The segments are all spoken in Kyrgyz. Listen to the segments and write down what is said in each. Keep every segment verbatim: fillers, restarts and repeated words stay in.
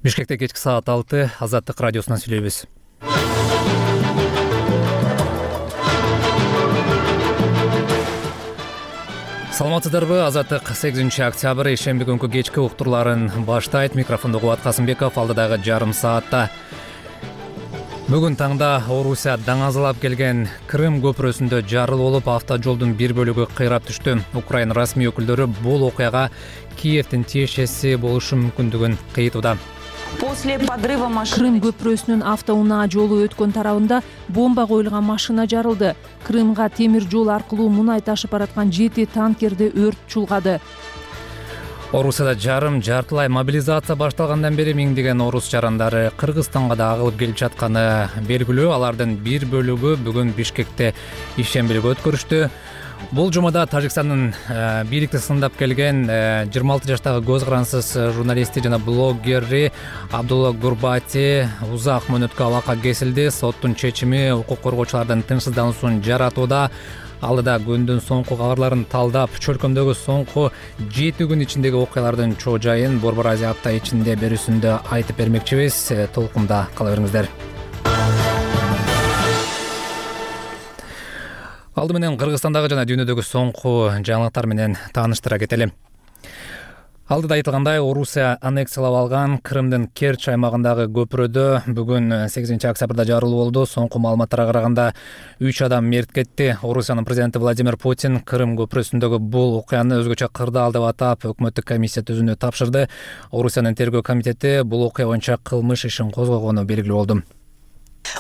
Бишкекте кечки саат алты Азаттык радиосунан сүйлөйбүз. Саламатсыздарбы? Азаттык сегизинчи октябрь ишемби күнкү кечки уктурларын баштайт. Микрофондо Кубат Касымбеков, алдыдагы жарым саатта. Бүгүн таңда Орусия даңазалап келген Крым көпүрөсүндө жарылуу болуп, автожолдун бир бөлүгү кыйрап түштү. Украина расмий өкүлдөрү бул окуяга Киевдин тиешеси болушу мүмкүндүгүн кыйтууда. Крым көпүрөсүнүн автоунаа жолу өткөн тарабында бомба коюлган машина жарылды. Крымга темир жол аркылуу мунай ташып бараткан жети танкерди өрт чулгады. Орусияда жарым жартылай мобилизация башталгандан бери миңдеген орус жарандары Кыргызстанга да агылып келип жатканы белгилүү. Алардын бир бөлүгү бүгүн Бишкекте ишембилик өткөрүштү. Бул жумада Тажикстандын бийликти сындап келген жыйырма алты жаштагы көз карансыз журналисти жана блогери Абдулла Гурбати узак мөөнөткө абакка кесилди. Соттун чечими укук коргоочулардын тынчсыздануусун жаратууда. Алдыда күндүн соңку кабарларын талдап, чөлкөмдөгү соңку жети күн ичиндеги окуялардын чоо жайын Борбор Азия апта ичинде берүүсүндө айтып бермекчибиз. Толкунда кала бериңиздер. Алды менен Кыргызстандагы жана дүйнөдөгү соңку жаңылыктар менен тааныштыра кетели. Алдыда айтылгандай, Орусия аннексиялап алган Крымдын Керчь аймагындагы көпүрөдө бүгүн сегизинчи октябрда жарылуу болду. Соңку маалыматтарга караганда үч адам мерт кетти. Орусиянын президенти Владимир Путин Крым көпүрөсүндөгү бул окуяны өзгөчө кырдаал деп атап, өкмөттүк комиссия түзүүнү тапшырды. Орусиянын тергөө комитети бул окуя боюнча кылмыш ишин козгогону белгилүү болду.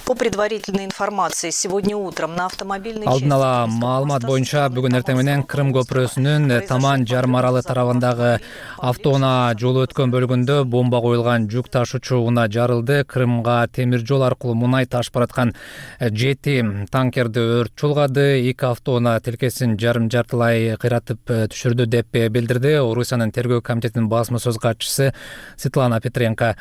По предварительной информации, сегодня утром на автомобильной Алдын ала маалымат боюнча бүгүн эртең менен Крым көпүрөсүнүн Таман жарым аралы тарабындагы автоунаа жолу өткөн бөлүгүндө бомба коюлган жүк ташуучу унаа жарылды. Крымга темир жол аркылуу мунай ташып бараткан жети танкерди өрт чулгады. Эки автоунаа тилкесин жарым жартылай кыйратып түшүрдү деп билдирди Орусиянын тергөө комитетинин басма сөз катчысы Светлана Петренко.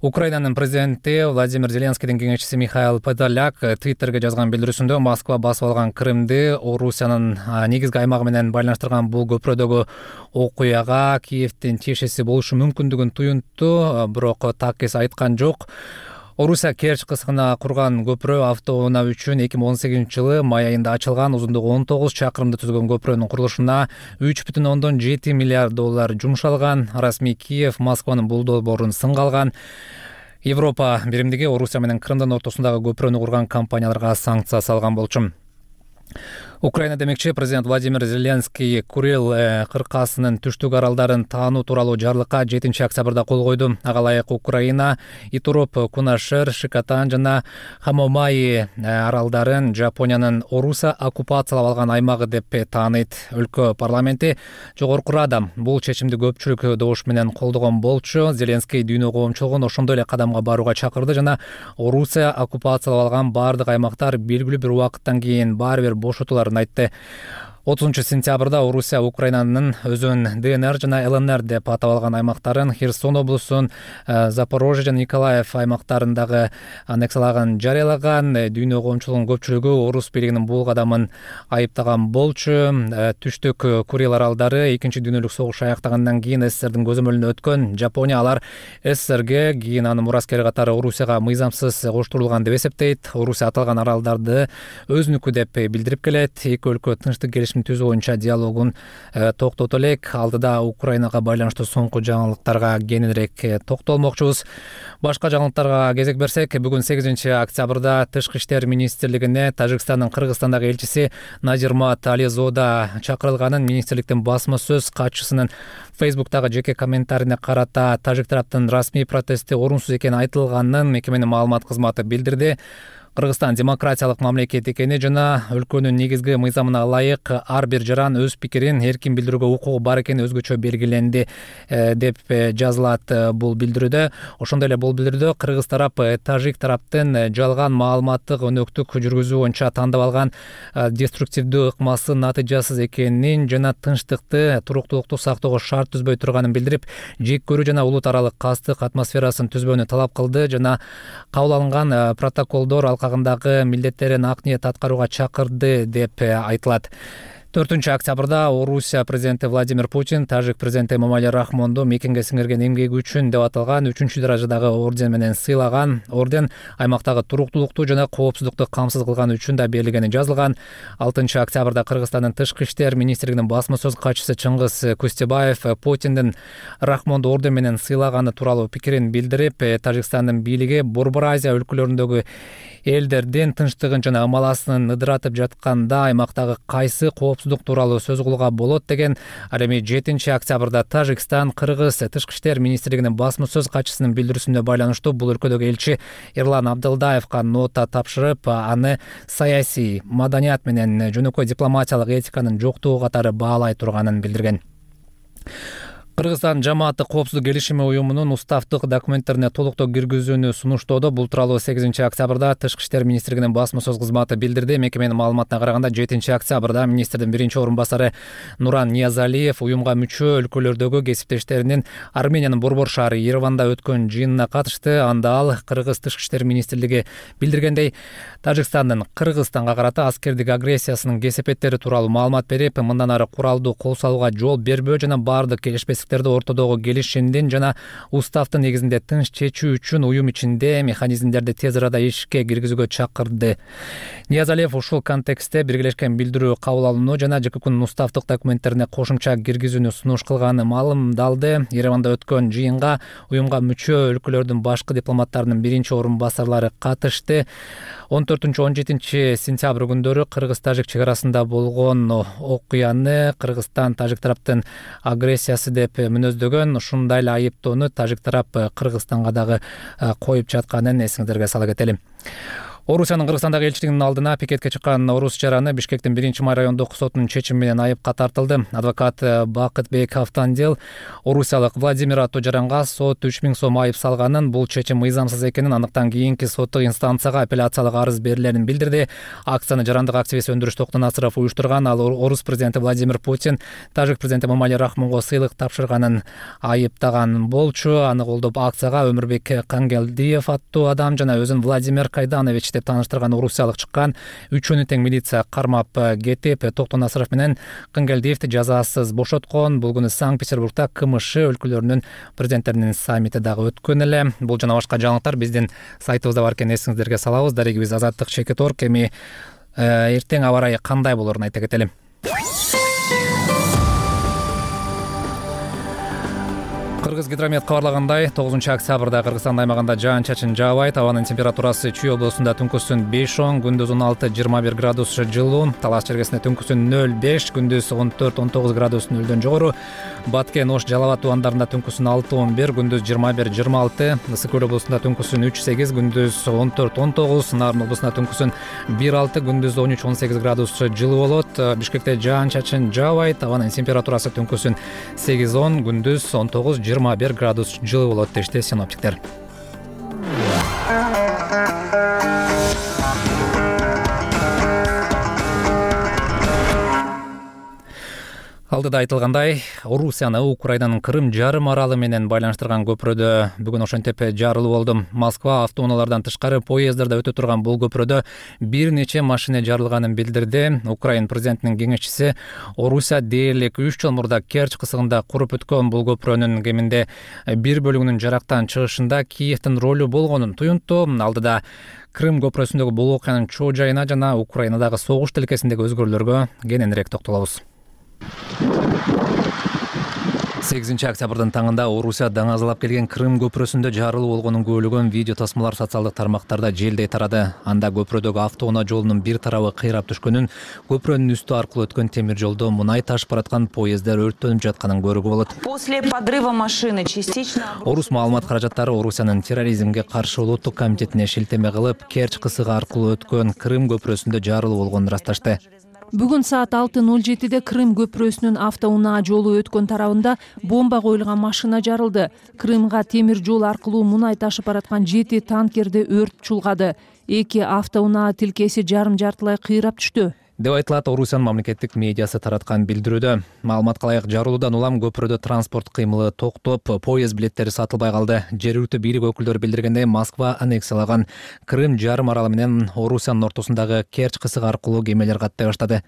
Украинанын президенти Владимир Зеленскийдин кеңешчиси Михаил Подоляк Твиттерге жазган билдирүүсүндө Москва басып алган Крымды Орусиянын негизги аймагы менен байланыштырган бул көпүрөдөгү окуяга Киевдин тиешеси болушу мүмкүндүгүн туюнтту, бирок так эс айткан жок. Орусия Керчь кыскына курган көпүрө автоунаа үчүн эки миң он сегизинчи жылы май айында ачылган. Узундугу он тогуз чакырымды түзгөн көпүрөнүн курулушуна үч бүтүн ондон жети миллиард доллар жумшалган. Расмий Киев Москванын бул долбоорун сынга алган. Европа биримдиги Орусия менен Крымдын ортосундагы көпүрөнү курган компанияларга санкция салган болчу. Украина демекчи, президент Владимир Зеленский Курил кыркасынын түштүк аралдарын таануу тууралуу жарлыкка жетинчи октябрда кол койду. Ага ылайык Украина Итуроп, Кунашир, Шикотан жана Хамомаи аралдарын Жапониянын Орусия оккупациялап алган аймагы деп тааныйт. Өлкө парламенти жогорку рада бул чечимди көпчүлүк добуш менен колдогон болчу. Зеленский дүйнө коомчулугун ошондой эле кадамга барууга чакырды жана Орусия оккупациялап алган бардык аймактар белгилүү бир убакыттан кийин баары бир бошотуларын айтты. отузунчу сентябрда Орусия Украинанын өзүн ДНР жана ЛНР деп атап алган аймактарын Херсон облусун, Запорожье жана Николаев аймактарындагы аннексиялаган жарыялаган. Дүйнө коомчулугунун көпчүлүгү орус бийлигинин бул кадамын айыптаган болчу. Түштүк Курил аралдары экинчи дүйнөлүк согуш аяктагандан кийин СССРдин көзөмөлүнө өткөн. Жапония алар СССРге, кийин анын мураскери катары Орусияга мыйзамсыз коштурулган деп эсептейт. Орусия аталган аралдарды өзүнүкү деп билдирип келет. Эки өлкө тынчтык келишим түзүү боюнча диалогун токтото элек. Алдыда Украинага байланыштуу соңку жаңылыктарга кеңирээк токтолмокчубуз. Башка жаңылыктарга кезек берсек, бүгүн сегизинчи октябрда Тышкы иштер министрлигине Тажикстандын Кыргызстандагы элчиси Назирмат Ализода чакырылганын министрликтин басма сөз катчысынын Фейсбуктагы жеке комментарине карата тажик тараптын расмий протести орунсуз экени айтылганын мекеменин маалымат кызматы билдирди. Кыргызстан демократиялык мамлекет экени жана өлкөнүн негизги мыйзамына ылайык ар бир жаран өз пикирин эркин билдирүүгө укугу бар экени өзгөчө белгиленди деп жазылат бул билдирүүдө. Ошондой эле бул билдирүүдө кыргыз тарап тажик тараптын жалган маалыматтык өнөктүк жүргүзүү боюнча тандап алган деструктивдүү ыкмасы натыйжасыз экенин жана тынчтыкты, туруктуулукту сактоого шарт түзбөй турганын билдирип, жек көрүү жана улут аралык кастык атмосферасын түзбөөнү талап кылды жана кабыл алынган протоколдор алкагындагы милдеттерин ак ниет аткарууга чакырды деп айтылат. төртүнчү октябрда Орусия президенти Владимир Путин тажик президенти Эмомали Рахмонду мекенге сиңирген эмгеги үчүн деп аталган үчүнчү даражадагы орден менен сыйлаган. Орден аймактагы туруктуулукту жана коопсуздукту камсыз кылганы үчүн да берилгени жазылган. алтынчы октябрда Кыргызстандын тышкы иштер министрлигинин басма сөз катчысы Чыңгыз Кустебаев Путиндин Рахмонду орден менен сыйлаганы тууралуу пикирин билдирип, Тажикстандын бийлиги Борбор Азия өлкөлөрүндөгү элдердин тынчтыгын жана ымаласын ыдыратып жатканда аймактагы кайсы коопсуздук тууралуу сөз кылууга болот деген. Ал эми жетинчи октябрда Тажикстан Кыргыз тышкы иштер министрлигинин басма сөз катчысынын билдирүүсүнө байланыштуу бул өлкөдөгү элчи Эрлан Абдылдаевка нота тапшырып, аны саясий, маданият менен жөнөкөй дипломатиялык этиканын жоктугу катары баалай турганын билдирген. Кыргызстан жамааттык коопсуздук келишими уюмунун уставдык документтерине толуктоо киргизүүнү сунуштоодо. Бул тууралуу сегизинчи октябрда тышкы иштер министрлигинин басма сөз кызматы билдирди. Мекеменин маалыматына караганда жетинчи октябрда министрдин биринчи орун басары Нуран Ниязалиев уюмга мүчө өлкөлөрдөгү кесиптештеринин Армениянын Борбор шаары Ереванда өткөн жыйынына катышты. Анда ал Кыргыз тышкы иштер министрлиги билдиргендей, Тажикстандын Кыргызстанга карата аскердик агрессиясынын кесепеттери тууралуу маалымат берип, мындан ары куралдуу кол салууга жол бербөө жана баардык келишпестик ортодогу келишимдин жана уставдын негизинде тынч чечүү үчүн уюм ичинде механизмдерди тез арада ишке киргизүүгө чакырды. Ниязалиев ушул контекстте биргелешкен билдирүү кабыл алууну жана ЖККнын уставдык документтерине кошумча киргизүүнү сунуш кылганы маалымдалды. Ереванда өткөн жыйынга уюмга мүчө өлкөлөрдүн башкы дипломаттарынын биринчи орун басарлары катышты. он төртүнчү он жетинчи сентябрь күндөрү Кыргыз-Тажик чек арасында болгон окуяны Кыргызстан тажик тараптын агрессиясы деп мүнөздөгөн. Ушундай эле айыптоону тажик тарап Кыргызстанга дагы коюп жатканын эсиңиздерге сала кетели. Орусиянын Кыргызстандагы элчилигинин алдына пикетке чыккан орус жараны Бишкектин биринчи май райондук сотунун чечими менен айыпка тартылды. Адвокат Бакытбек Автандел орусиялык Владимир аттуу жаранга сот үч миң сом айып салганын, бул чечим мыйзамсыз экенин, андыктан кийинки соттук инстанцияга апелляциялык арыз берилерин билдирди. Акцияны жарандык активист Өндүрүш Токтонасыров уюштурган. Ал орус президенти Владимир Путин тажик президенти Эмомали Рахмонго сыйлык тапшырганын айыптаган болчу. Аны колдоп акцияга Өмүрбек Кангелдиев аттуу адам жана өзүн Владимир Кайданович деп тааныштырган орусиялык чыккан. Үчөөнү тең милиция кармап кетип, Токтонасыров менен Кангелдиевди жазасыз бошоткон. Бул күнү Санкт-Петербургда КМШ өлкөлөрүнүн президенттеринин саммити дагы өткөн эле. Бул жана башка жаңылыктар биздин сайтыбызда бар экенин эсиңиздерге салабыз. Дарегибиз Азаттык Чекиторг. Эми эртең аба ырайы кандай болорун айта кетели. Кыргызгидромет кабарлагандай, тогузунчу октябрда Кыргызстан аймагында жаан-чачын жаабайт. Абанын температурасы Чүй облусунда түнкүсүн беш он, күндүз он алты жыйырма бир градус жылуу, Талас чергесинде түнкүсүн нөл беш, күндүз он төрт он тогуз градус нөлдөн жогору, Баткен, Ош, Жалал абад тубандарында түнкүсүн алты он бир, күндүз жыйырма бир жыйырма алты, Ысык көл облусунда түнкүсүн үч сегиз, күндүз он төрт он тогуз, Нарын облусунда түнкүсүн бир алты, күндүз он үч он сегиз градус жылуу болот. Бишкекте жаан-чачын жаабайт. Абанын температурасы түнкүсүн сегиз он, күндүз он тогуз жыйырма бир градус жылуу болот дешти синоптиктер. Алдыда айтылгандай, Орусияны Украинанын Крым жарым аралы менен байланыштырган көпүрөдө бүгүн ошентип жарылуу болду. Москва автоунаалардан тышкары поезддарда өтө турган бул көпүрөдө бир нече машина жарылганын билдирди. Украин президентинин кеңешчиси Орусия дээрлик үч жыл мурда Керчь кысыгында куруп өткөн бул көпүрөнүн кеминде бир бөлүгүнүн жарактан чыгышында Киевдин ролу болгонун туюнтту. Алдыда Крым көпүрөсүндөгү бул окуянын чоо жайына жана Украинадагы согуш тилкесиндеги өзгөрүүлөргө кененирээк токтолобуз. сегизинчи октябрдын таңында Орусия даңазалап келген Крым көпүрөсүндө жарылуу болгонун күбөлөгөн видео тасмалар социалдык тармактарда желдей тарады. Анда көпүрөдөгү автоунаа жолунун бир тарабы кыйрап түшкөнүн, көпүрөнүн үстү аркылуу өткөн темир жолдо мунай ташып бараткан поезддер өрттөнүп жатканын көрүүгө болот. После подрыва машины частично Орус маалымат каражаттары Орусиянын терроризмге каршы улуттук комитетине шилтеме кылып, Керчь кысыгы аркылуу өткөн Крым көпүрөсүндө жарылуу болгонун ырасташты. Бүгүн саат алты ноль жетиде Крым көпүрөсүнүн автоунаа жолу өткөн тарабында бомба коюлган машина жарылды. Крымга темир жол аркылуу мунай ташып бараткан жети танкерди өрт чулгады. Эки автоунаа тилкеси жарым жартылай кыйрап түштү. деп айтылат Орусиянын мамлекеттик медиасы тараткан билдирүүдө. Маалыматка ылайык, жарылуудан улам көпүрөдө транспорт кыймылы токтоп, поезд билеттери сатылбай калды. Жергиликтүү бийлик өкүлдөрү билдиргендей, Москва аннексиялаган Крым жарым аралы менен Орусиянын ортосундагы Керчь кысыгы аркылуу кемелер каттай баштады.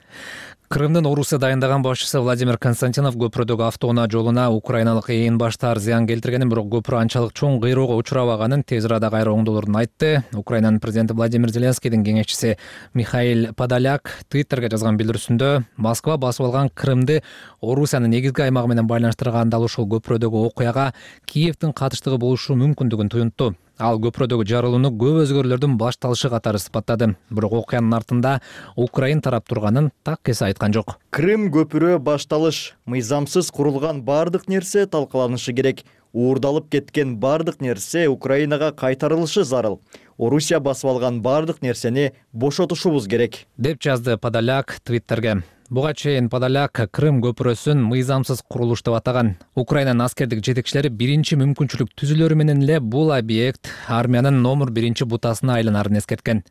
Крымдын Орусия дайындаган башчысы Владимир Константинов көпүрөдөгү автоунаа жолуна украиналык ээн баштар зыян келтиргенин, бирок көпүрө анчалык чоң кыйроого учурабаганын, тез арада кайра оңдолорун айтты. Украинанын президенти Владимир Зеленскийдин кеңешчиси Михаил Подоляк Твиттерге жазган билдирүүсүндө Москва басып алган Крымды Орусиянын негизги аймагы менен байланыштырган дал ушул көпүрөдөгү окуяга Киевдин катыштыгы болушу мүмкүндүгүн туюнтту. Ал көпүрөдөгү жарылууну көп өзгөрүүлөрдүн башталышы катары сыпаттады. Бирок окуянын артында Украин тарап турганын так эсе айткан жок. Крым көпүрө башталыш. Мыйзамсыз курулган бардык нерсе талкаланышы керек. Уурдалып кеткен бардык нерсе Украинага кайтарылышы зарыл. Орусия басып алган бардык нерсени бошотушубуз керек, деп жазды Подоляк Твиттерге. Буга чейин Подоляк Крым көпүрөсүн мыйзамсыз курулуш деп атаган. Украинанын аскердик жетекчилери биринчи мүмкүнчүлүк түзүлөрү менен эле бул объект армиянын номер биринчи бутасына айланарын эскерткен.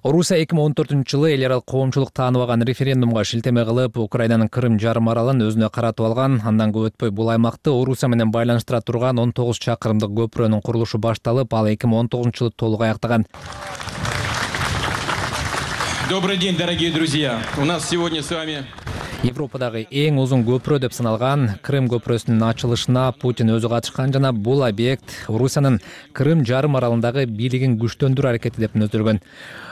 Орусия эки миң он төртүнчү жылы эл аралык коомчулук тааныбаган референдумга шилтеме кылып, Украинанын Крым жарым аралын өзүнө каратып алган. Андан көп өтпөй бул аймакты Орусия менен байланыштыра турган он тогуз чакырымдык көпүрөнүн курулушу башталып, ал эки миң он тогузунчу жылы толук аяктаган. Добрый день, дорогие друзья. У нас сегодня с вами Европадагы эң узун көпүрө деп саналган Крым көпүрөсүнүн ачылышына Путин өзү катышкан жана бул объект Орусиянын Крым жарым аралындагы бийлигин күчтөндүрүү аракети деп мүнөздөлгөн.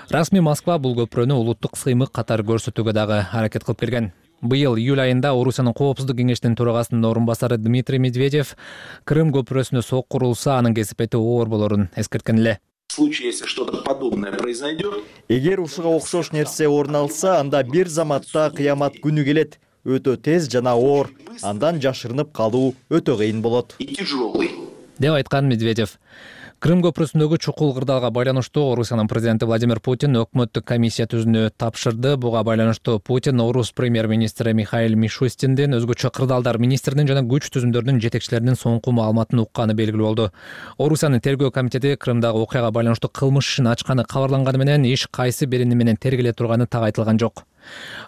Расмий Москва бул көпүрөнү улуттук сыймык катары көрсөтүүгө дагы аракет кылып келген. Быйыл июль айында Орусиянын коопсуздук кеңешинин төрагасынын орун басары Дмитрий Медведев Крым көпүрөсүнө сок курулса, анын кесипети оор болорун эскерткен эле. В случае, если что-то подобное произойдет, эгер ушуга окшош нерсе орун алса, анда бир заматта кыямат күнү келет. Өтө тез жана оор, андан жашырынып калуу өтө кыйын болот. и тяжелый. деп айткан Медведев. Крым көпүрөсүндөгү чукул кырдаалга байланыштуу Орусиянын президенти Владимир Путин өкмөттүк комиссия түзүүнү тапшырды. Буга байланыштуу Путин Орус премьер-министри Михаил Мишустиндин, өзгөчө кырдаалдар министринин жана күч түзүмдөрүнүн жетекчилеринин соңку маалыматын укканы белгилүү болду. Орусиянын тергөө комитети Крымдагы окуяга байланыштуу кылмыш ишин ачканы кабарланганы менен иш кайсы берени менен тергеле турганы так айтылган жок.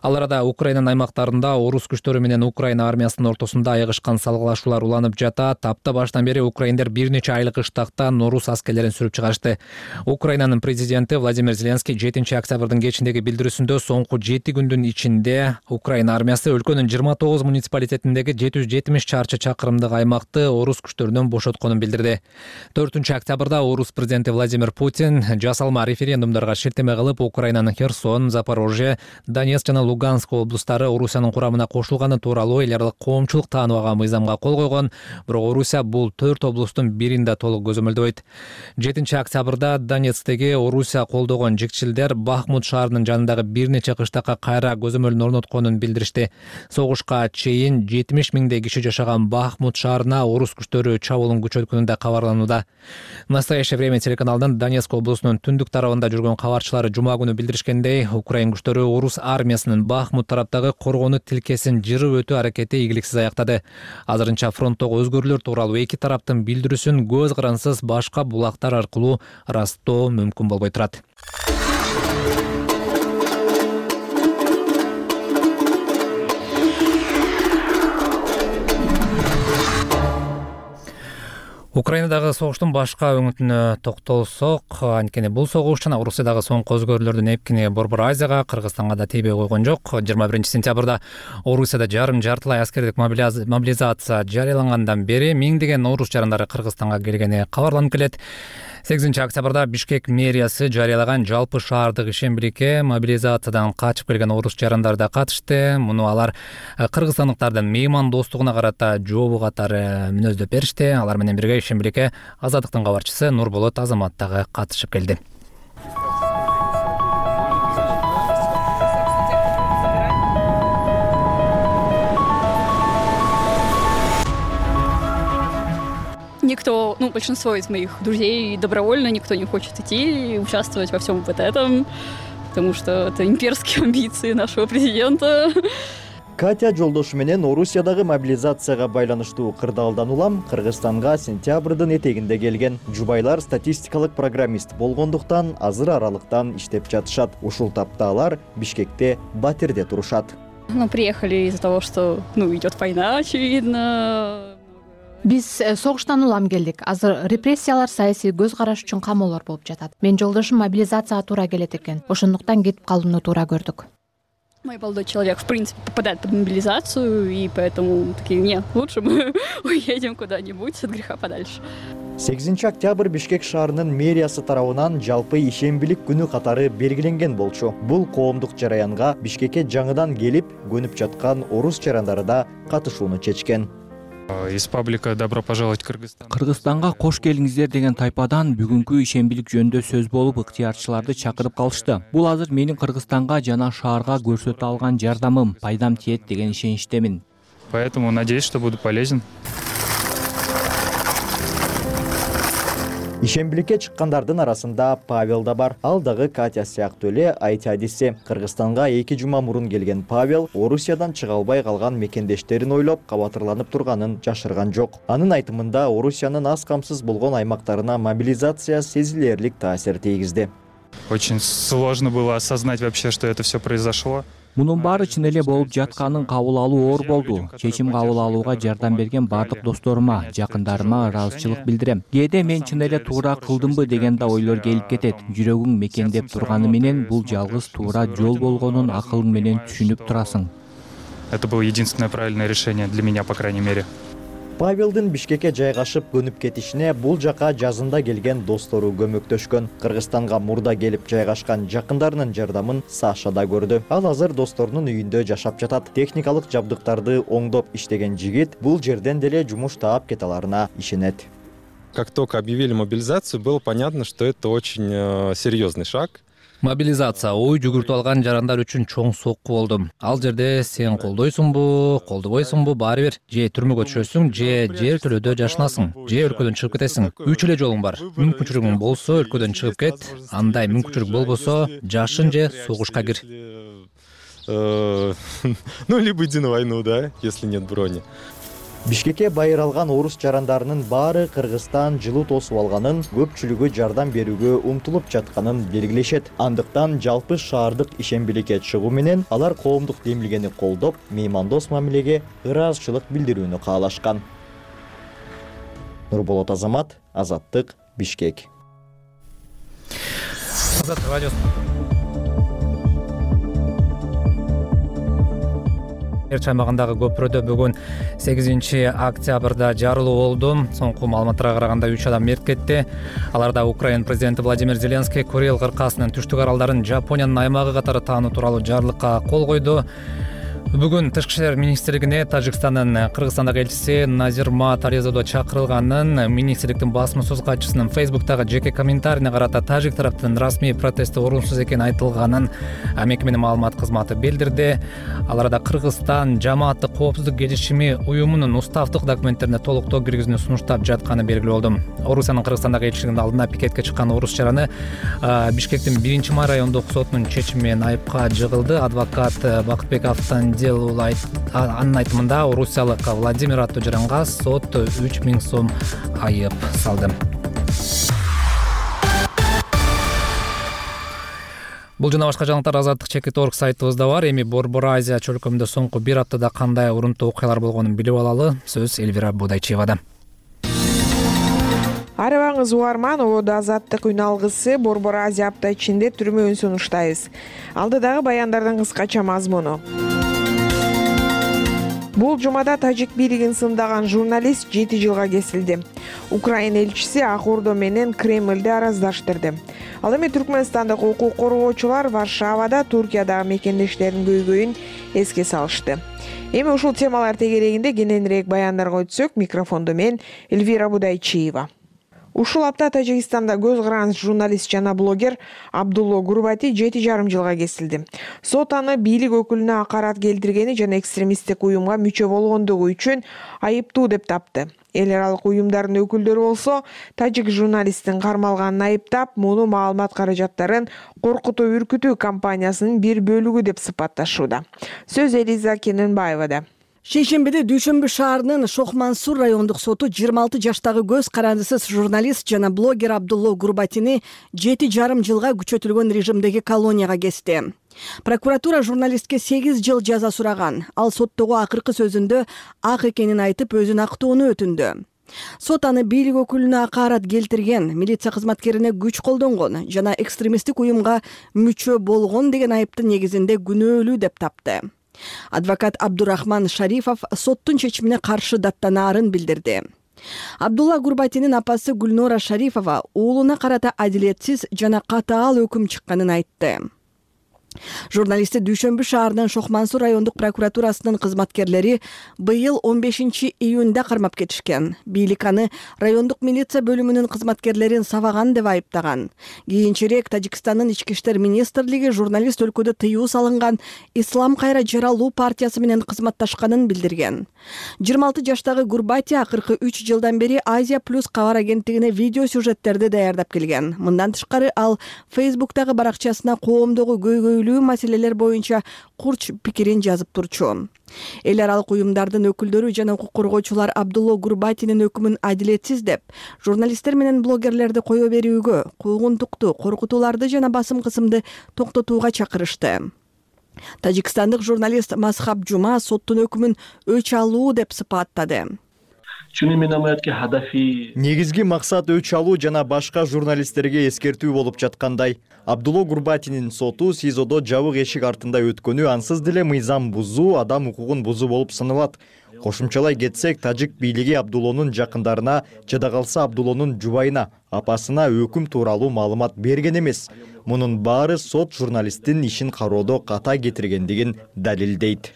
Ал арада Украинанын аймактарында орус күчтөрү менен Украина армиясынын ортосунда айыгышкан салгылашуулар уланып жатат. Апта башынан бери украиндер бир нече айлык ыштактан орус аскерлерин сүрүп чыгарышты. Украинанын президенти Владимир Зеленский жетинчи октябрдын кечиндеги билдирүүсүндө соңку жети күндүн ичинде Украина армиясы өлкөнүн жыйырма тогуз муниципалитетиндеги жети жүз жетимиш чарчы чакырымдык аймакты орус күчтөрүнөн бошотконун билдирди. төртүнчү октябрда орус президенти Владимир Путин жасалма референдумдарга шилтеме кылып, Украинанын Херсон, Запорожье, Донецк жана Луганск облустары Орусиянын курамына кошулганы тууралуу эл аралык коомчулук тааныбаган мыйзамга кол койгон, бирок Орусия бул төрт облустун биринде толук көзөмөлдөбөйт. жетинчи октябрда Донецктеги Орусия колдогон жикчилдер Бахмут шаарынын жанындагы бир нече кыштакка кайра көзөмөлүн орнотконун билдиришти. Согушка чейин жетимиш миңдей киши жашаган Бахмут шаарына орус күчтөрү чабуулун күчөткөнү да кабарланууда. Настоящее время телеканалдын Донецк облусунун түндүк тарабында жүргөн кабарчылары жума күнү билдиришкендей, Украин күчтөрү орус армиясынын Бахмут тараптагы коргонуу тилкесин жырып өтүү аракети ийгиликсиз аяктады. Азырынча фронттогу өзгөрүүлөр тууралуу эки тараптын билдирүүсүн көз карансыз башка булактар аркылуу ырастоо мүмкүн болбой турат. Украинадагы согуштун башка өңүтүнө токтолсок, анткени бул согуш жана Орусиядагы соңку өзгөрүүлөрдүн эпкини Борбор Азияга, Кыргызстанга да тийбей койгон жок. жыйырма биринчи сентябрда Орусияда жарым жартылай аскердик мобилизация жарыялангандан бери миңдеген орус жарандары Кыргызстанга келгени кабарланып келет. сегизинчи октябрда Бишкек мэриясы жарыялаган жалпы шаардык ишембирикке мобилизациядан качып келген орус жарандары да катышты. Муну алар кыргызстандыктардын меймандостугуна карата жообу катары мүнөздөп беришти. Алар менен бирге ишембирикке Азаттыктын кабарчысы Нурболот Азамат дагы катышып келди. Никто, ну, большинство из моих друзей добровольно, никто не хочет идти и участвовать во всем вот этом, потому что это имперские амбиции нашего президента. Катя жолдошу менен Орусиядагы мобилизацияга байланыштуу кырдаалдан улам Кыргызстанга сентябрдын этегинде келген. Жубайлар статистикалык программист болгондуктан азыр аралыктан иштеп жатышат. Ушул тапта алар Бишкекте батирде турушат. Ну, приехали из-за того, что, ну, идет война, очевидно. Биз согуштан улам келдик. Азыр репрессиялар, саясий көз караш үчүн камоолор болуп жатат. Менин жолдошум мобилизацияга туура келет экен. Ошондуктан кетип калууну туура көрдүк. Мой молодой человек, в принципе, попадает под мобилизацию, и поэтому такие, нет, лучше мы уедем куда-нибудь от греха подальше. сегизинчи октябрь Бишкек шаарынын мэриясы тарабынан жалпы ишембилик күнү катары белгиленген болчу. Бул коомдук жараянга Бишкекке жаңыдан келип, көнүп жаткан орус жарандары да катышууну чечкен. Из паблика «Добро пожаловать в Кыргызстан». Кыргызстанга кош келиңиздер деген тайпадан бүгүнкү ишембилик жөнүндө сөз болуп, ыктыярчыларды чакырып калышты. Бул азыр менин Кыргызстанга жана шаарга көрсөтө алган жардамым, пайдам тиет деген ишеничтемин. Поэтому надеюсь, что буду полезен. Ишембиликке чыккандардын арасында Павел да бар. Ал дагы Катя сыяктуу эле айт адиси. Кыргызстанга эки жума мурун келген Павел Орусиядан чыга албай калган мекендештерин ойлоп кабатырланып турганын жашырган жок. Анын айтымында Орусиянын аз камсыз болгон аймактарына мобилизация сезилерлик таасир тийгизди. Очень сложно было осознать вообще, что это все произошло. Мунун баары чын эле болуп жатканын кабыл алуу оор болду. Чечим кабыл алууга жардам берген бардык досторума, жакындарыма ыраазычылык билдирем. Кээде мен чын эле туура кылдымбы деген да ойлор келип кетет. Жүрөгүң мекендеп турганы менен бул жалгыз туура жол болгонун акылың менен түшүнүп турасың. Это было единственное правильное решение для меня, по крайней мере. Павелдин Бишкекке жайгашып көнүп кетишине бул жака жазында келген достору көмөктөшкөн. Кыргызстанга мурда келип жайгашкан жакындарынын жардамын Саша да көрдү. Ал азыр досторунун үйүндө жашап жатат. Техникалык жабдыктарды оңдоп иштеген жигит бул жерден деле жумуш таап кете аларына ишенет. Как только объявили мобилизацию, было понятно, что это очень э, серьезный шаг. Мобилизация ой жүгүртүп алган жарандар үчүн чоң сокку болду. Ал жерде сен колдойсуңбу, колдобойсуңбу, баары бир же түрмөгө түшөсүң, же жер төлөдө жашынасың, же өлкөдөн чыгып кетесиң. Үч эле жолуң бар. Мүмкүнчүлүгүң болсо өлкөдөн чыгып кет, андай мүмкүнчүлүк болбосо жашын же согушка кир. Ну, либо иди на войну, да, если нет брони. Бишкекке байыр алган орус жарандарынын баары Кыргызстан жылуу тосуп алганын, көпчүлүгү жардам берүүгө умтулуп жатканын белгилешет. Андыктан жалпы шаардык ишембиликке чыгуу менен алар коомдук демилгени колдоп, меймандос мамилеге ыраазычылык билдирүүнү каалашкан. Нурболот Азамат, Азаттык, Бишкек. Азаттык радиосу. Эрч аймагындагы көпүрөдө бүгүн сегизинчи октябрда жарылуу болду. Соңку маалыматтарга караганда үч адам мерт кетти. Аларда Украина президенти Владимир Зеленский Курил кыркасынын түштүк аралдарын Жапониянын аймагы катары таануу тууралуу жарлыкка кол койду. Бүгүн Тышкы иштер министрлигине Тажикстандын Кыргызстандагы элчиси Назирма Тарезодо чакырылганын министрликтин басма-сөз катчысынын Фейсбуктагы жеке комментарийине карата тажик тараптын расмий протести орунсуз экени айтылганын мекеменин маалымат кызматы билдирди. Аларда Кыргызстан жамааттык коопсуздук келишими уюмунун уставдык документтерине толуктоо киргизүүнү сунуштап жатканы белгилүү болду. Орусиянын Кыргызстандагы элчилигинин алдына пикетке чыккан орус жараны Бишкектин биринчи май райондук сотунун чечими менен айыпка жыгылды. Адвокат Бакытбек Автан анын айтымында орусиялык Владимир аттуу жаранга сот үч миң сом айып салды. Бул жана башка жаңылыктар Азаттык чекит точка орг сайтыбызда бар. Эми Борбор Азия чөлкөмүндө соңку бир аптада кандай урунтуу окуялар болгонун билип алалы. Сөз Эльвира Будайчевада. Арыбаңыз угарман, Улуу Азаттык үн алгысы Борбор Азия апта ичинде түрмөөн сунуштайбыз. Алдыдагы баяндардын кыскача мазмуну. Бул жумада тажик бийлигин сындаган журналист жети жылга кесилди. Украина элчиси Ак Ордо менен Кремлди араздаштырды. Ал эми Түркмөнстандык укук коргоочулар Варшавада Туркиядагы мекендештеринин көйгөйүн эске салышты. Эми ушул темалар тегерегинде кененирээк баяндарга өтсөк, микрофондо мен Эльвира Будайчиева. Ушул апта Тажикстанда көз караныс журналист жана блогер Абдулло Гурбати жети жарым жылга кесилди. Сот аны бийлик өкүлүнө акарат келтиргени жана экстремисттик уюмга мүчө болгондугу үчүн айыптуу деп тапты. Эл аралык уюмдардын өкүлдөрү болсо тажик журналисттин кармалганын айыптап, муну маалымат каражаттарын коркутуу үркүтүү кампаниясынын бир бөлүгү деп сыпатташууда. Сөз Элиза Кененбаевада. Шейшембиде Дүйшөмбү шаарынын Шохмансур райондук соту жыйырма алты жаштагы көз карандысыз журналист жана блогер Абдулло Гурбатини жети жарым жылга күчөтүлгөн режимдеги колонияга кести. Прокуратура журналистке сегиз жыл жаза сураган. Ал соттогу акыркы сөзүндө ак экенин айтып, өзүн актоону өтүндү. Сот аны бийлик өкүлүнө акарат келтирген, милиция кызматкерине күч колдонгон жана экстремисттик уюмга мүчө болгон деген айыптын негизинде күнөөлүү деп тапты. Адвокат Абдурахман Шарифов соттун чечимине каршы даттанаарын билдирди. Абдулла Гурбатинин апасы Гүлнора Шарифова уулуна карата адилетсиз жана катаал өкүм чыкканын айтты. Журналистти Дүйшөмбү шаарынын Шохмансур райондук прокуратурасынын кызматкерлери быйыл он бешинчи июнда кармап кетишкен. Бийлик аны райондук милиция бөлүмүнүн кызматкерлерин сабаган деп айыптаган. Кийинчерээк Тажикстандын ички иштер министрлиги журналист өлкөдө тыюу салынган Ислам кайра жаралуу партиясы менен кызматташканын билдирген. жыйырма алты жаштагы Гурбати акыркы үч жылдан бери Азия плюс кабар агенттигине видео сюжеттерди даярдап келген. Мындан тышкары ал Фейсбуктагы баракчасына коомдогу көйгөйлүү маселелер боюнча курч пикирин жазып турчу. Эл аралык уюмдардын өкүлдөрү жана укук коргоочулар Абдулло Гурбатинин өкүмүн адилетсиз деп, журналисттер менен блогерлерди кое берүүгө, куугунтукту, коркутууларды жана басым кысымды токтотууга чакырышты. Тажикстандык журналист Масхаб Жума соттун өкүмүн өч алуу деп сыпаттады. Негизги максат өч алуу жана башка журналисттерге эскертүү болуп жаткандай. Абдулло Гурбатинин соту СИЗОдо жабык эшик артында өткөнү ансыз деле мыйзам бузуу, адам укугун бузуу болуп саналат. Кошумчалай кетсек, тажик бийлиги Абдуллонун жакындарына, жада калса Абдуллонун жубайына, апасына өкүм тууралуу маалымат берген эмес. Мунун баары сот журналисттин ишин кароодо ката кетиргендигин далилдейт,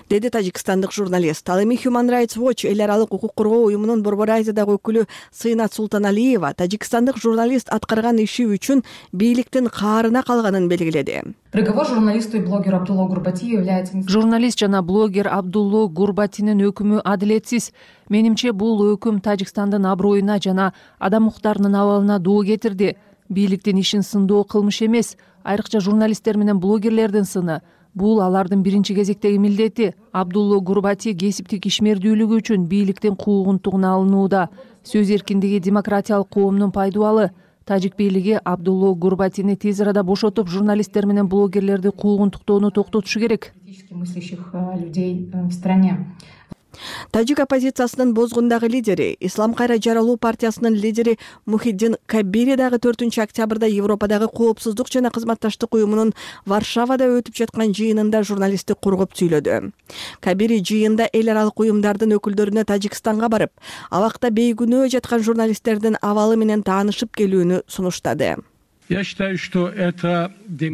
деди тажикстандык журналист. Ал эми Human Rights Watch эл аралык укук коргоо уюмунун Борбор Азиядагы өкүлү Сыйнат Султаналиева тажикстандык журналист аткарган иши үчүн бийликтин каарына калганын белгиледи. Приговор журналисту и блогеру Абдулло Гурбати является... Журналист жана блогер Абдулло Гурбатинин өкүмү адилетсиз. Менимче бул өкүм Тажикстандын аброюна жана адам укуктарынын абалына доо кетирди. Бийликтин ишин сындоо кылмыш эмес, айрыкча журналисттер менен блогерлердин сыны. Бул алардын биринчи кезектеги милдети. Абдулло Гурбати кесиптик ишмердүүлүгү үчүн бийликтин куугунтугуна алынууда. Сөз эркиндиги демократиялык коомдун пайдубалы. Тажик бийлиги Абдулло Гурбатини тез арада бошотуп, журналисттер менен блогерлерди куугунтуктоону токтотушу керек. Тажик оппозициясынын бозгундагы лидери, Ислам кайра жаралуу партиясынын лидери Мухиддин Кабири дагы төртүнчү октябрда Европадагы коопсуздук жана кызматташтык уюмунун Варшавада өтүп жаткан жыйынында журналистти коргоп сүйлөдү. Кабири жыйында эл аралык уюмдардын өкүлдөрүнө Тажикстанга барып, абакта бейгүнөө жаткан журналисттердин абалы менен таанышып келүүнү сунуштады.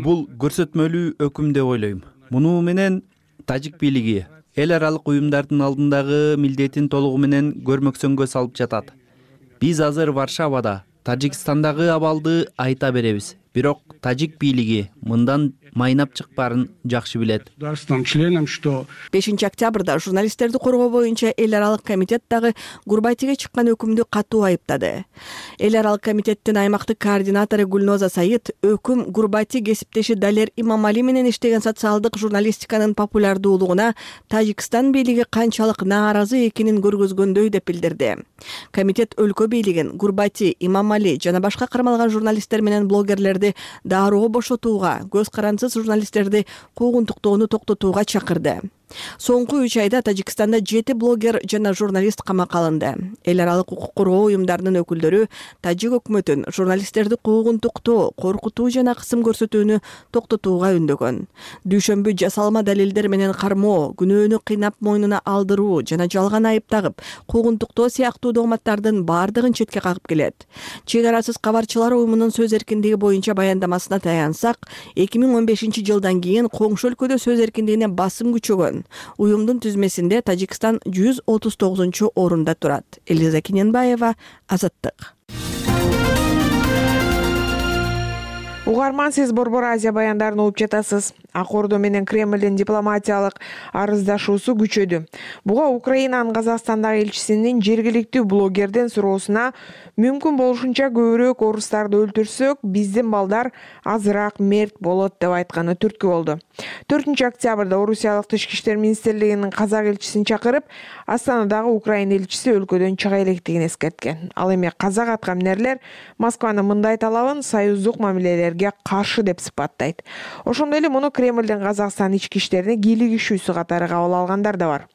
Бул көрсөтмөлүү өкүм деп ойлойм. Муну менен тажик бийлиги эл аралык уюмдардын алдындагы милдетин толугу менен көрмөксөнгө салып жатат. Биз азыр Варшавада Тажикстандагы абалды айта беребиз. Бирок тажик бийлиги мындан майнап чыкпаарын жакшы билет. бешинчи октябрда журналисттерди коргоо боюнча эл аралык комитет дагы Гурбатиге чыккан өкүмдү катуу айыптады. Эл аралык комитеттин аймактык координатору Гүлноза Саид өкүм Гурбати кесиптеши Далер Имамали менен иштеген социалдык журналистиканын популярдуулугуна Тажикстан бийлиги канчалык нааразы экенин көргөзгөндөй деп билдирди. Комитет өлкө бийлигин Гурбати, Имамали жана башка кармалган журналисттер менен блогерлерди дароо бошотууга, көз карансыз журналисттерди куугунтуктоону токтотууга чакырды. Соңку үч айда Тажикстанда жети блогер жана журналист камакка алынды. Эл аралык укук коргоо уюмдарынын өкүлдөрү тажик өкмөтүн журналисттерди куугунтуктоо, коркутуу жана кысым көрсөтүүнү токтотууга үндөгөн. Дүйшөмбү жасалма далилдер менен кармоо, күнөөнү кыйнап мойнуна алдыруу жана жалган айып тагып, куугунтуктоо сыяктуу догматтардын бардыгын четке кагып келет. Чек арасыз кабарчылар уюмунун сөз эркиндиги боюнча баяндамасына таянсак, эки миң он бешинчи жылдан кийин коңшу өлкөдө сөз эркиндигине басым күчөгөн. Уюмдун түзмесинде Тажикстан жүз отуз тогузунчу орунда турат. Элиза Кененбаева, Азаттык. Уга угарман, сиз Борбор Азия баяндарын угуп жатасыз. Ак Ордо менен Кремлдин дипломатиялык арыздашуусу күчөдү. Буга Украинанын Казакстандагы элчисинин жергиликтүү блогердин суроосуна мүмкүн болушунча көбүрөөк орустарды өлтүрсөк, биздин балдар азыраак мерт болот деп айтканы түрткү болду. төртүнчү октябрда Орусиялык Тышкы иштер министрлигинин казак элчисин чакырып, Астанадагы Украина элчиси өлкөдөн чыга электигин эскерткен. Ал эми казак аткаминерлер Москванын мындай талабын союздук мамилелерге каршы деп сыпаттайт. Ошондой эле муну Кремлдин Казакстан ички иштерине кийлигишүүсү катары кабыл алгандар да бар.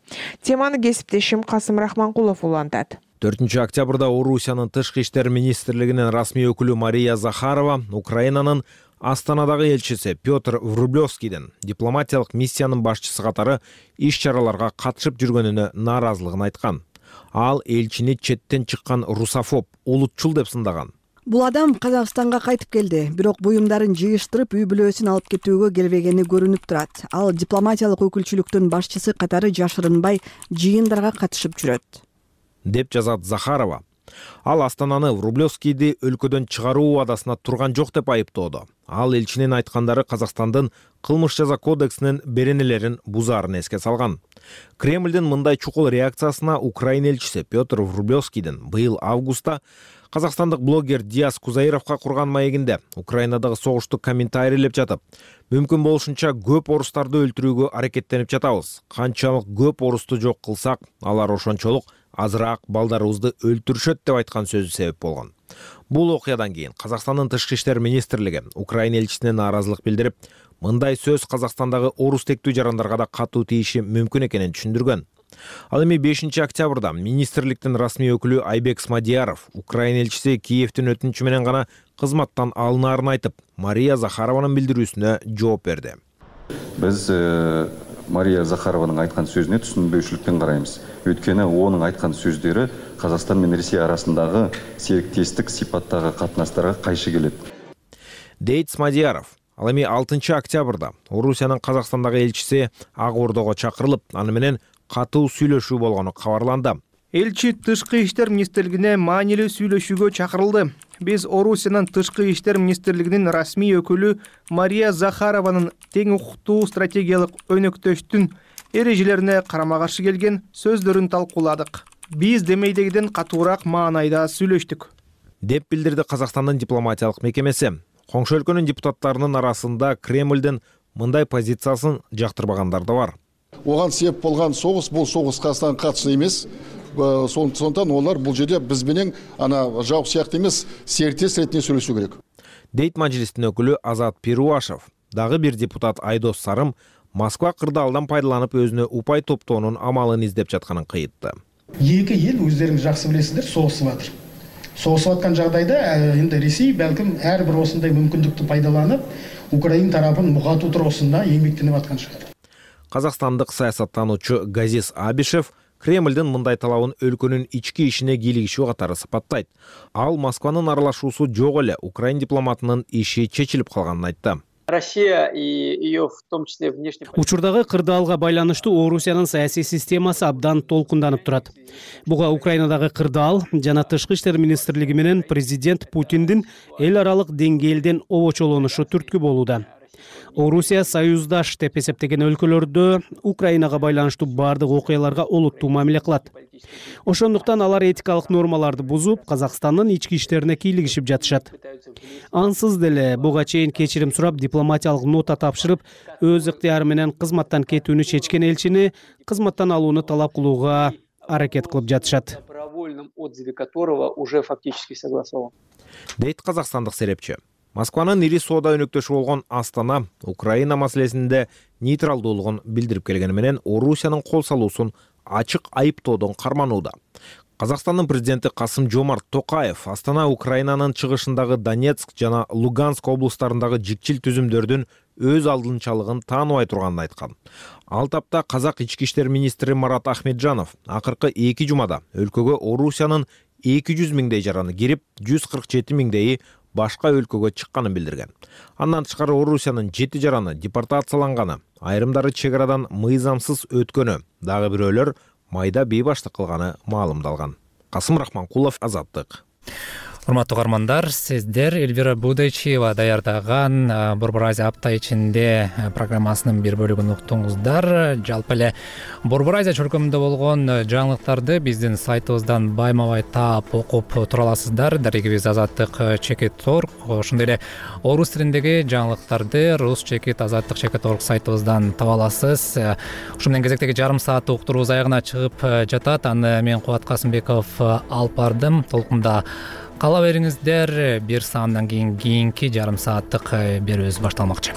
Теманы кесиптешим Касым Рахманкулов улантат. төртүнчү октябрда Орусиянын Тышкы иштер министрлигинин расмий өкүлү Мария Захарова Украинанын Астанадагы элчиси Петр Врублевскийдин дипломатиялык миссиянын башчысы катары иш-чараларга катышып жүргөнүнө нааразылыгын айткан. Ал элчини четтен чыккан русофоб, улутчул деп сындаган. Бул адам Казакстанга кайтып келди, бирок буюмдарын жыйыштырып үй бүлөсүн алып кетүүгө келбегени көрүнүп турат. Ал дипломатиялык өкүлчүлүктүн башчысы катары жашырынбай жыйындарга катышып жүрөт, деп жазат Захарова. Ал Астананы Врублевскийди өлкөдөн чыгаруу убадасына турган жок деп айыптоодо. Ал элчинин айткандары Казакстандын кылмыш жаза кодексинин беренелерин бузаарын эске салган. Кремлдин мындай чукул реакциясына Украина элчиси Петр Врублевскийдин быйыл августта казакстандык блогер Диас Кузаировго курган маегинде Украинадагы согушту комментарийлеп жатып, мүмкүн болушунча көп орустарды өлтүрүүгө аракеттенип жатабыз. Канчалык көп орусту жок кылсак, алар ошончолук азыраак балдарыбызды өлтүрүшөт деп айткан сөзү себеп болгон. Бул окуядан кийин Казакстандын Тышкы иштер министрлиги Украина элчисине нааразылык билдирип, мындай сөз Казакстандагы орус тектүү жарандарга да катуу тийиши мүмкүн экенин түшүндүргөн. Ал эми бешинчи октябрда министрликтин расмий өкүлү Айбек Смадияров Украина элчиси Киевдин өтүнүчү менен гана кызматтан алынаарын айтып, Мария Захарованын билдирүүсүнө жооп берди. Биз Мария Захарованын айткан сөзүнө түшүнбөйчүлүктөн карайбыз. Өткөнү онун айткан сөздөрү Казакстан менен Россия арасындагы сериктестик сипаттагы катнаштарга кайшы келет, дейт Смадияров. Ал эми алтынчы октябрда Орусиянын Казакстандагы элчиси Ак Ордого чакырылып, аны менен катуу сүйлөшүү болгону кабарланды. Элчи Тышкы иштер министрлигине маанилүү сүйлөшүүгө чакырылды. Биз Орусиянын Тышкы иштер министрлигинин расмий өкүлү Мария Захарованын тең укуктуу стратегиялык өнөктөштүн эрежелерине карама-каршы келген сөздөрүн талкууладык. Биз демейдегиден катуураак маанайда сүйлөштүк, деп билдирди Казакстандын дипломатиялык мекемеси. Коңшу өлкөнүн депутаттарынын арасында Кремлдин мындай позициясын жактырбагандар да бар. Оған себеп болгон согуш бул согуш Казакстанга катышы эмес. Сондықтан олар бұл жерде біз менен ана жауап сияқты емес, серіктес ретінде сөйлесу керек. Дейт Мажилистин өкүлү Азат Перуашев. Дагы бир депутат Айдос Сарым Москва кырдаалдан пайдаланып өзүнө упай топтоонун амалын издеп жатканын кыйытты. Эки эл өздөрүңүз жакшы билесиздер, согушуп атыр. Согушуп аткан жагдайда эми Ресей балким ар бир осундай мүмкүндүктү пайдаланып, Украина тарапын мугатуу туруусунда эмгектенип аткан шаар. Казакстандык саясаттануучу Газис Абишев Кремлдин мындай талабын өлкөнүн ички ишине кийлигишүү катары сыпаттайт. Ал Москванын аралашуусу жок эле Украин дипломатынын иши чечилип калганын айтты. Россия и ее в том числе внешне. Учурдагы кырдаалга байланыштуу Орусиянын саясий системасы абдан толкунданып турат. Буга Украинадагы кырдаал жана Тышкы иштер министрлиги менен президент Путиндин эл аралык деңгээлден обочолонушу түрткү болууда. Орусия союздаш деп эсептеген өлкөлөрдө Украинага байланыштуу бардык окуяларга олуттуу мамиле кылат. Ошондуктан алар этикалык нормаларды бузуп, Казакстандын ички иштерине кийлигишип жатышат. Ансыз деле буга чейин кечирим сурап, дипломатиялык нота тапшырып, өз ыктыяры менен кызматтан кетүүнү чечкен элчини кызматтан алууну талап кылууга аракет кылып жатышат. Добровольном отзыве которого уже фактически согласован. Дейт казакстандык серепчи. Москванын ири соода өнөктөшү болгон Астана Украина маселесинде нейтралдуулугун билдирип келгени менен Орусиянын кол салуусун ачык айыптоодон карманууда. Казакстандын президенти Касым-Жомарт Токаев Астана Украинанын чыгышындагы Донецк жана Луганск облустарындагы жикчил түзүмдөрдүн өз алдынчалыгын тааныбай турганын айткан. Ал тапта казак ички иштер министри Марат Ахмеджанов акыркы эки жумада өлкөгө Орусиянын эки жүз миңдей жараны кирип, жүз кырк жети миңдейи башка өлкөгө чыкканын билдирген. Андан тышкары Орусиянын жети жараны депортацияланганы, айрымдары чек арадан мыйзамсыз өткөнү, дагы бирөөлөр майда бейбаштык кылганы маалымдалган. Касым Рахманкулов, Азаттык. Урматтуу угармандар, сиздер Эльвира Будайчиева даярдаган Борбор Азия апта ичинде программасынын бир бөлүгүн уктуңуздар. Жалпы эле Борбор Азия чөлкөмүндө болгон жаңылыктарды биздин сайтыбыздан байма-бай таап окуп тура аласыздар. Дарегибиз азаттык чекит точка орг. Ошондой эле орус тилиндеги жаңылыктарды рус чекит азаттык чекит точка орг сайтыбыздан таба аласыз. Ушу менен кезектеги жарым сааттык уктурубуз аягына чыгып жатат. Аны мен Кубат Касымбеков алып бардым. Толкунда кала бериңиздер. Бир саамдан кийин кийинки жарым сааттык берүүбүз башталмакчы.